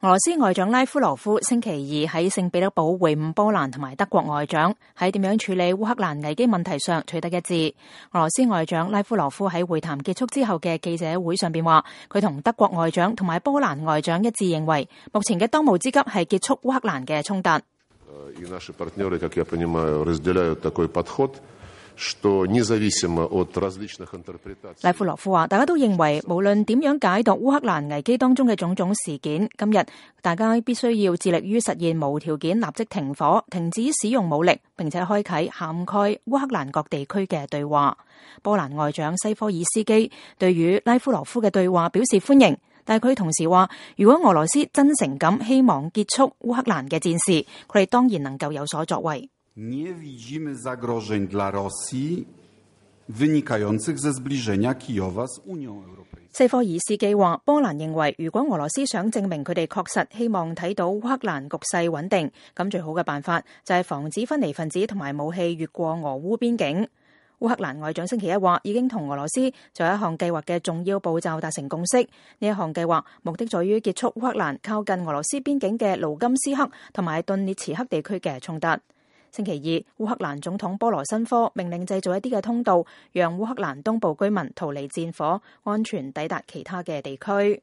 俄羅斯外長拉夫羅夫星期二喺聖彼得堡會晤波蘭同埋德國外長，喺點樣處理烏克蘭危機問題上取得一致。俄羅斯外長拉夫羅夫喺會談結束之後嘅記者會上邊話，佢同德國外長同埋波蘭外長一致認為，目前嘅當務之急係結束烏克蘭嘅衝突。拉夫羅夫話，大家都認為無論點樣解讀烏克蘭危機當中嘅種種事件，今日大家必須要致力於實現無條件立即停火、停止使用武力，並且開啟涵蓋烏克蘭各地區嘅對話。波蘭外長西科爾斯基對於拉夫羅夫嘅對話表示歡迎，但係佢同時話，如果俄羅斯真誠咁希望結束烏克蘭嘅戰事，佢哋當然能夠有所作為。Nie widzimy zagrożeń dla Rosji wynikających ze zbliżenia Kijowa z Unią Europejską。西科爾斯基話，波蘭認為如果俄羅斯想證明佢哋確實希望睇到烏克蘭局勢穩定，咁最好嘅辦法就係防止分離分子同埋武器越過俄烏邊境。烏克蘭外長星期一話，已經同俄羅斯就一項計劃嘅重要步驟達成共識。呢一項計劃目的在於結束烏克蘭靠近俄羅斯邊境嘅盧甘斯克同埋頓涅茨克地區嘅衝突。星期二，烏克蘭總統波羅申科命令製造一啲嘅通道，讓烏克蘭東部居民逃離戰火，安全抵達其他嘅地區。